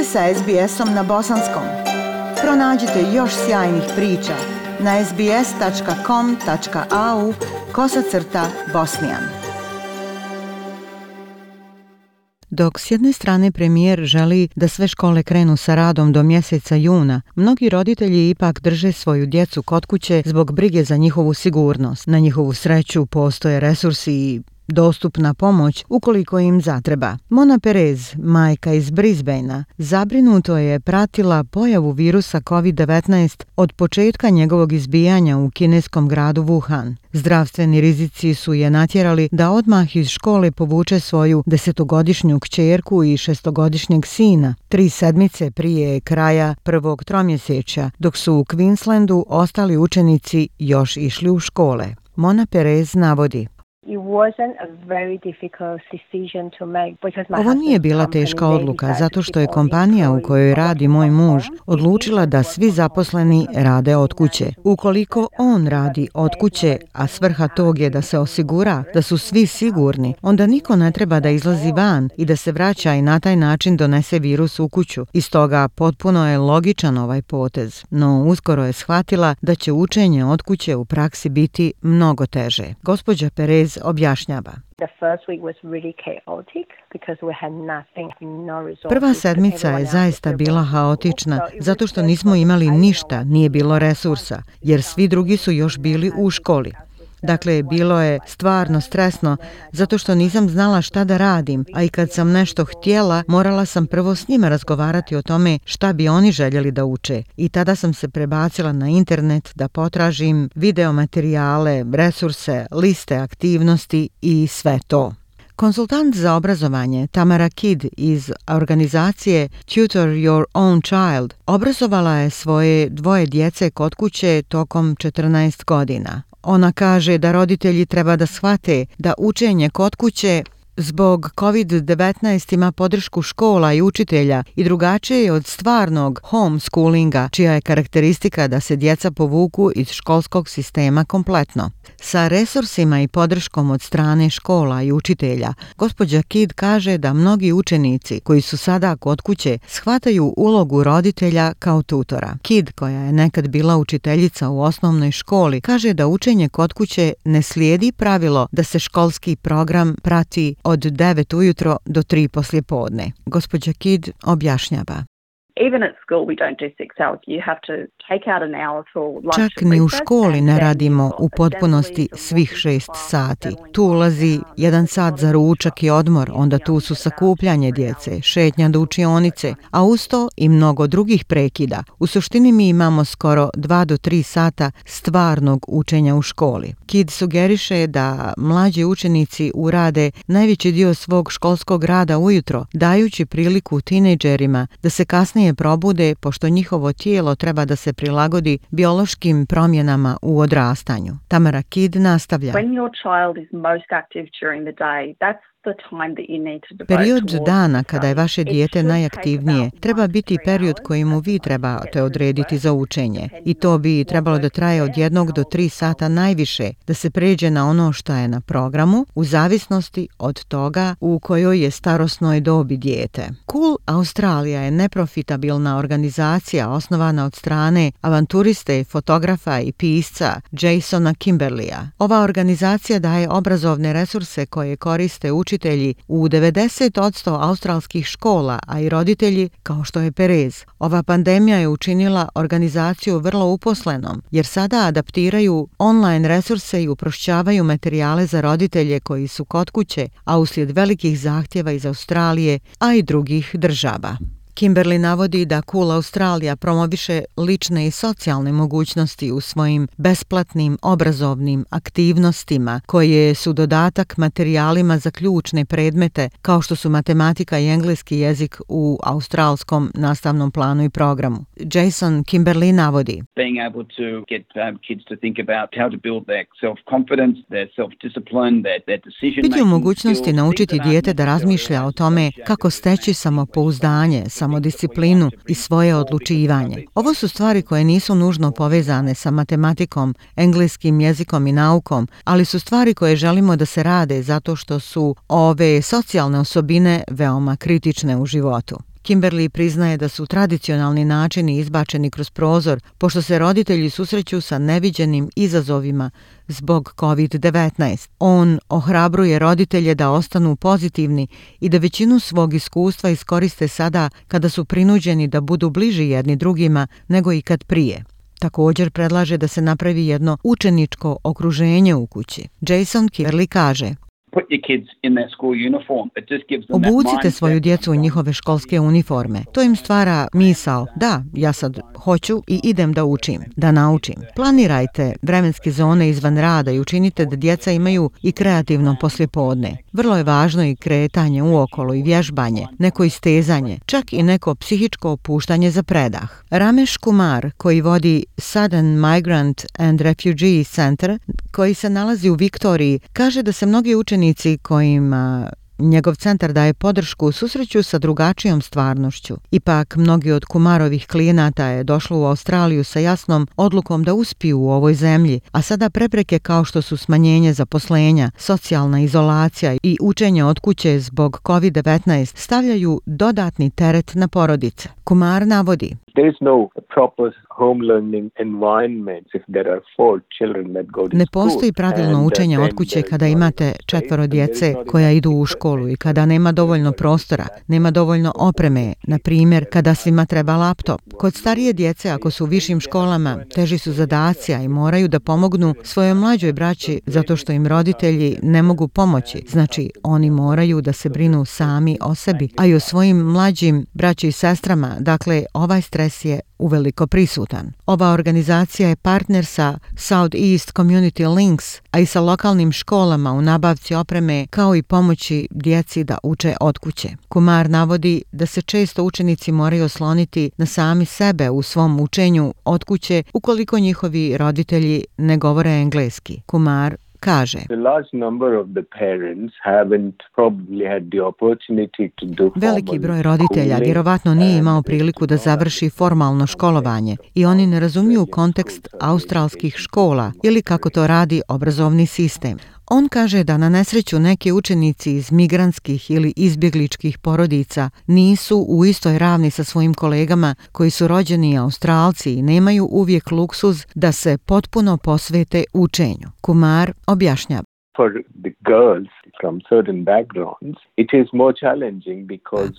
ste sa SBS-om na bosanskom. Pronađite još sjajnih priča na sbs.com.au/bosnijan. Dok s jedne strane premijer želi da sve škole krenu sa radom do mjeseca juna, mnogi roditelji ipak drže svoju djecu kod kuće zbog brige za njihovu sigurnost. Na njihovu sreću postoje resursi i dostupna pomoć ukoliko im zatreba. Mona Perez, majka iz Brisbanea, zabrinuto je pratila pojavu virusa COVID-19 od početka njegovog izbijanja u kineskom gradu Wuhan. Zdravstveni rizici su je natjerali da odmah iz škole povuče svoju 10-godišnju kćerku i 6-godišnjeg sina 3 sedmice prije kraja prvog tromjesečja, dok su u Queenslandu ostali učenici još išli u škole. Mona Perez navodi: Ovo nije bila teška odluka zato što je kompanija u kojoj radi moj muž odlučila da svi zaposleni rade od kuće. Ukoliko on radi od kuće, a svrha tog je da se osigura da su svi sigurni, onda niko ne treba da izlazi van i da se vraća i na taj način donese virus u kuću. I stoga potpuno je logičan ovaj potez, no uskoro je shvatila da će učenje od kuće u praksi biti mnogo teže. Gospođa Perez objašnjava: Prva sedmica je zaista bila haotična zato što nismo imali ništa, nije bilo resursa, jer svi drugi su još bili u školi. Dakle, bilo je stvarno stresno zato što nisam znala šta da radim, a i kad sam nešto htjela, morala sam prvo s njima razgovarati o tome šta bi oni željeli da uče. I tada sam se prebacila na internet da potražim videomaterijale, resurse, liste aktivnosti i sve to. Konsultant za obrazovanje Tamara Kidd iz organizacije Tutor Your Own Child obrazovala je svoje 2 djece kod kuće tokom 14 godina. Ona kaže da roditelji treba da shvate da učenje kod kuće zbog COVID-19 ima podršku škola i učitelja i drugačije je od stvarnog homeschoolinga, čija je karakteristika da se djeca povuku iz školskog sistema kompletno. Sa resursima i podrškom od strane škola i učitelja, gospođa Kidd kaže da mnogi učenici koji su sada kod kuće shvataju ulogu roditelja kao tutora. Kidd, koja je nekad bila učiteljica u osnovnoj školi, kaže da učenje kod kuće ne slijedi pravilo da se školski program prati od 9 ujutro do 3 poslijepodne. Gospođa Kidd objašnjava: Čak ni u školi ne radimo u potpunosti svih 6 sati. Tu ulazi 1 sat za ručak i odmor, onda tu su sakupljanje djece, šetnja do učionice, a uz to i mnogo drugih prekida. U suštini mi imamo skoro 2 do 3 sata stvarnog učenja u školi. Kidd sugeriše da mlađi učenici urade najveći dio svog školskog rada ujutro, dajući priliku tinejdžerima da se kasnije probude, pošto njihovo tijelo treba da se prilagodi biološkim promjenama u odrastanju. Tamara Kidd nastavlja: Period dana kada je vaše dijete najaktivnije treba biti period koji mu vi trebate odrediti za učenje i to bi trebalo da traje od 1 do 3 sata najviše, da se pređe na ono što je na programu u zavisnosti od toga u kojoj je starosnoj dobi dijete. Cool Australija je neprofitabilna organizacija osnovana od strane avanturiste, fotografa i pisca Jasona Kimberleya. Ova organizacija daje obrazovne resurse koje koriste učitelji u 90% australskih škola, a i roditelji kao što je Perez. Ova pandemija je učinila organizaciju vrlo uposlenom, jer sada adaptiraju online resurse i uprošćavaju materijale za roditelje koji su kod kuće, a uslijed velikih zahtjeva iz Australije, a i drugih država. Kimberly navodi da Cool Australija promoviše lične i socijalne mogućnosti u svojim besplatnim obrazovnim aktivnostima koje su dodatak materijalima za ključne predmete kao što su matematika i engleski jezik u australskom nastavnom planu i programu. Jason Kimberley navodi: Being able to get kids to think about how to build their self-confidence, their self-discipline, their decision making. Biti u mogućnosti naučiti dijete da razmišlja o tome kako steći samopouzdanje, samodisciplinu i svoje odlučivanje. Ovo su stvari koje nisu nužno povezane sa matematikom, engleskim jezikom i naukom, ali su stvari koje želimo da se rade zato što su ove socijalne osobine veoma kritične u životu. Kimberly priznaje da su tradicionalni načini izbačeni kroz prozor, pošto se roditelji susreću sa neviđenim izazovima zbog COVID-19. On ohrabruje roditelje da ostanu pozitivni i da većinu svog iskustva iskoriste sada kada su prinuđeni da budu bliži jedni drugima nego i kad prije. Također predlaže da se napravi jedno učeničko okruženje u kući. Jason Kimberly kaže: obucite svoju djecu u njihove školske uniforme. To im stvara misao, da, ja sad hoću i idem da učim, da naučim. Planirajte vremenske zone izvan rada i učinite da djeca imaju i kreativno poslijepodne. Vrlo je važno i kretanje uokolo i vježbanje, neko istezanje, čak i neko psihičko opuštanje za predah. Ramesh Kumar, koji vodi Southern Migrant and Refugee Center, koji se nalazi u Viktoriji, kaže da se mnogi učenici kojima njegov centar daje podršku susreću sa drugačijom stvarnošću. Ipak, mnogi od Kumarovih klijenata je došlo u Australiju sa jasnom odlukom da uspiju u ovoj zemlji, a sada prepreke kao što su smanjenje zaposlenja, socijalna izolacija i učenje od kuće zbog COVID-19 stavljaju dodatni teret na porodice. Kumar navodi: ne postoji pravilno učenje od kuće kada imate 4 djece koja idu u školu i kada nema dovoljno prostora, nema dovoljno opreme, na primjer kada svima treba laptop. Kod starije djece, ako su u višim školama, teži su zadaci i moraju da pomognu svojoj mlađoj braći zato što im roditelji ne mogu pomoći. Znači, oni moraju da se brinu sami o sebi, a i o svojim mlađim braći i sestrama. Dakle, ovaj stres je uveliko prisutan. Ova organizacija je partner sa Southeast Community Links, a i sa lokalnim školama u nabavci opreme kao i pomoći djeci da uče od kuće. Kumar navodi da se često učenici moraju osloniti na sami sebe u svom učenju od kuće ukoliko njihovi roditelji ne govore engleski. Kumar kaže: veliki broj roditelja vjerovatno nije imao priliku da završi formalno školovanje i oni ne razumiju kontekst australskih škola ili kako to radi obrazovni sistem. On kaže da na nesreću neki učenici iz migrantskih ili izbjegličkih porodica nisu u istoj ravni sa svojim kolegama koji su rođeni Australci i nemaju uvijek luksuz da se potpuno posvete učenju. Kumar objašnjava: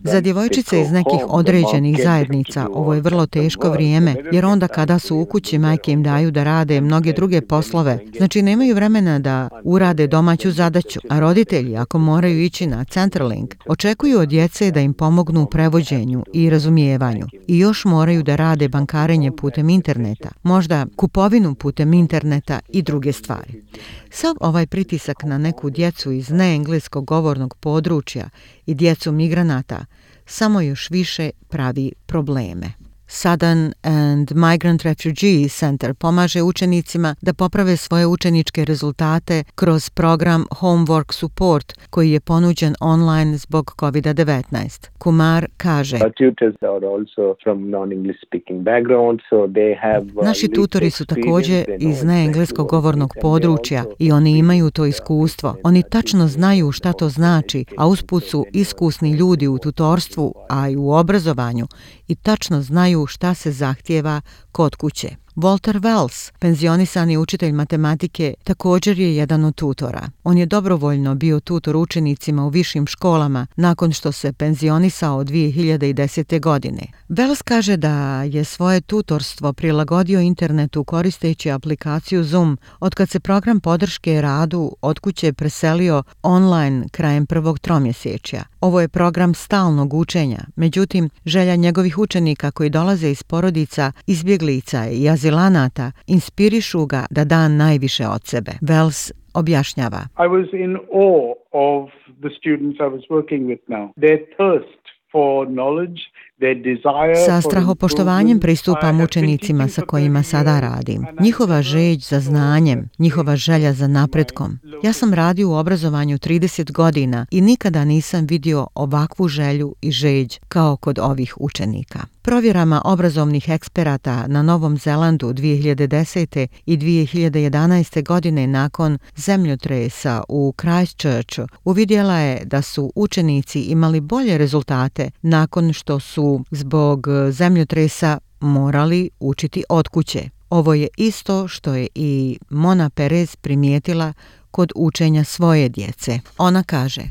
za djevojčice iz nekih određenih zajednica ovo je vrlo teško vrijeme, jer onda kada su u kući majke im daju da rade mnoge druge poslove, znači nemaju vremena da urade domaću zadaću, a roditelji, ako moraju ići na Centrelink, očekuju od djece da im pomognu u prevođenju i razumijevanju i još moraju da rade bankarenje putem interneta, možda kupovinu putem interneta i druge stvari. Sav ovaj pritisak na neku djecu iz neengleskog govornog područja i djecu migranata samo još više pravi probleme. Southern and Migrant Refugee Center pomaže učenicima da poprave svoje učeničke rezultate kroz program Homework Support koji je ponuđen online zbog COVID-19. Kumar kaže: naši tutori su također iz neengleskog govornog područja i oni imaju to iskustvo. Oni tačno znaju šta to znači, a usput su iskusni ljudi u tutorstvu, a i u obrazovanju i tačno znaju šta se zahtijeva kod kuće. Walter Wells, penzionisani učitelj matematike, također je jedan od tutora. On je dobrovoljno bio tutor učenicima u višim školama nakon što se penzionisao 2010. godine. Wells kaže da je svoje tutorstvo prilagodio internetu koristeći aplikaciju Zoom otkad se program podrške radu od kuće preselio online krajem prvog tromjesečja. Ovo je program stalnog učenja, međutim, želja njegovih učenika koji dolaze iz porodica, izbjeglica i azilanata inspirišu ga da da najviše od sebe. Wells objašnjava: I was in awe of the students I was working with now. Their thirst for knowledge, Sa strahopoštovanjem pristupam učenicima sa kojima sada radim. Njihova žeđ za znanjem, njihova želja za napretkom. Ja sam radio u obrazovanju 30 godina i nikada nisam vidio ovakvu želju i žeđ kao kod ovih učenika. Provjerama obrazovnih eksperata na Novom Zelandu 2010. i 2011. godine nakon zemljotresa u Christchurchu uvidjela je da su učenici imali bolje rezultate nakon što su zbog zemljotresa morali učiti od kuće. Ovo je isto što je i Mona Perez primijetila kod učenja svoje djece. Ona kaže: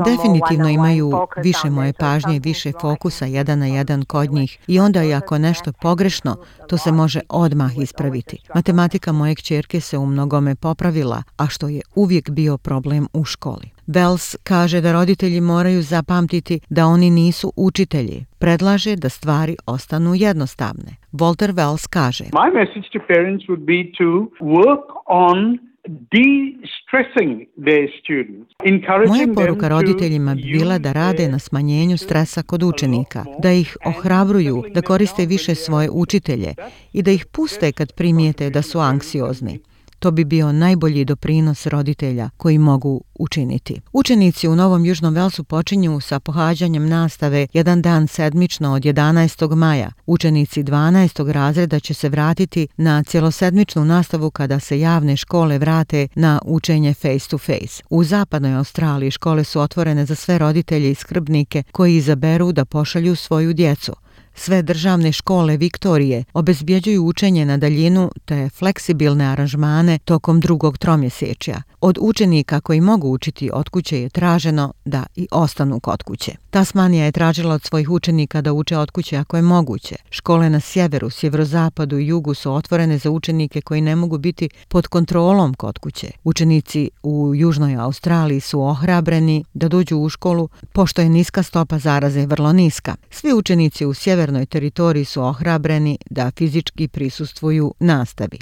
definitivno imaju više moje pažnje, više fokusa 1 na 1 kod njih i onda i ako nešto pogrešno, to se može odmah ispraviti. Matematika moje kćerke se u mnogome popravila, a što je uvijek bio problem u školi. Wells kaže da roditelji moraju zapamtiti da oni nisu učitelji. Predlaže da stvari ostanu jednostavne. Walter Wells kaže: My message to parents would be to work on de-stressing their students. Moja poruka roditeljima bi bila da rade na smanjenju stresa kod učenika, da ih ohrabruju da koriste više svoje učitelje i da ih puste kad primijete da su anksiozni. To bi bio najbolji doprinos roditelja koji mogu učiniti. Učenici u Novom Južnom Velsu počinju sa pohađanjem nastave jedan dan sedmično od 11. maja. Učenici 12. razreda će se vratiti na cjelosedmičnu nastavu kada se javne škole vrate na učenje face to face. U zapadnoj Australiji škole su otvorene za sve roditelje i skrbnike koji izaberu da pošalju svoju djecu. Sve državne škole Viktorije obezbjeđuju učenje na daljinu te fleksibilne aranžmane tokom drugog tromjesečja. Od učenika koji mogu učiti od kuće je traženo da i ostanu kod kuće. Tasmanija je tražila od svojih učenika da uče od kuće ako je moguće. Škole na sjeveru, sjeverozapadu i jugu su otvorene za učenike koji ne mogu biti pod kontrolom kod kuće. Učenici u Južnoj Australiji su ohrabreni da dođu u školu pošto je niska stopa zaraze vrlo niska. Svi učenici u sjevernoj teritoriji su ohrabreni da fizički prisustvuju nastavi.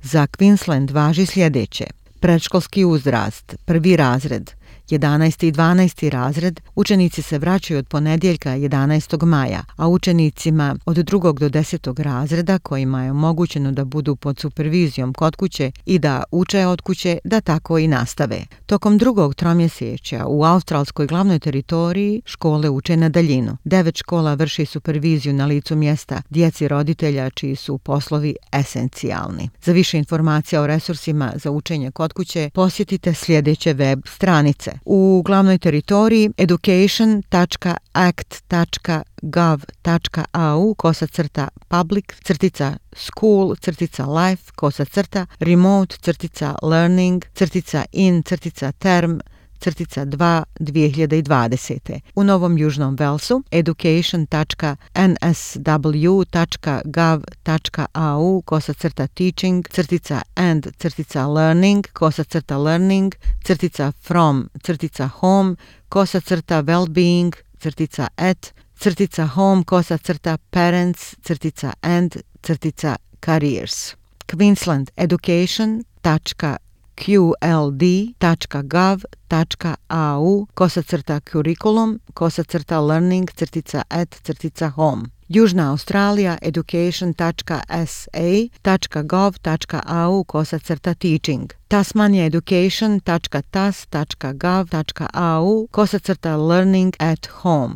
Za Queensland važi sljedeće: predškolski uzrast, 1. razred, 11. i 12. razred, učenici se vraćaju od ponedjeljka 11. maja, a učenicima od 2. do 10. razreda kojima je omogućeno da budu pod supervizijom kod kuće i da uče od kuće, da tako i nastave. Tokom drugog tromjesečja u australskoj glavnoj teritoriji škole uče na daljinu. 9 škola vrši superviziju na licu mjesta djeci roditelja čiji su poslovi esencijalni. Za više informacija o resursima za učenje kod kuće posjetite sljedeće web stranice. U glavnoj teritoriji education.act.gov.au/public-school-life-in-term-2-2020. U Novom Južnom Velsu education.nswu.gov.au/learning-from-home/parents/and/careers. Queensland education.qld.gov.au/curriculum/learning-at/home. Južna Australija education.sa.gov.au/teaching. Tasmania education.tas.gov.au/learning-at-home.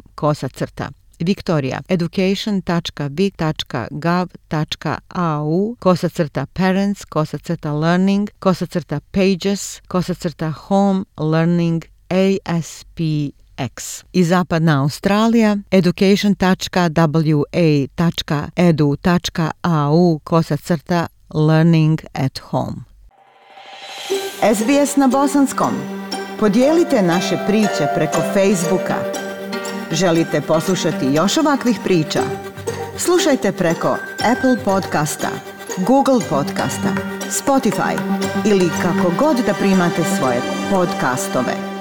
Victoria education.vic.gov.au/parents/home/learning-aspx. I Zapadna Australija education.wa.edu.au/learning-at-home. SBS na bosanskom. Podijelite naše priče preko Facebooka. Želite poslušati još ovakvih priča? Slušajte preko Apple podcasta, Google podcasta, Spotify ili kako god da primate svoje podcastove.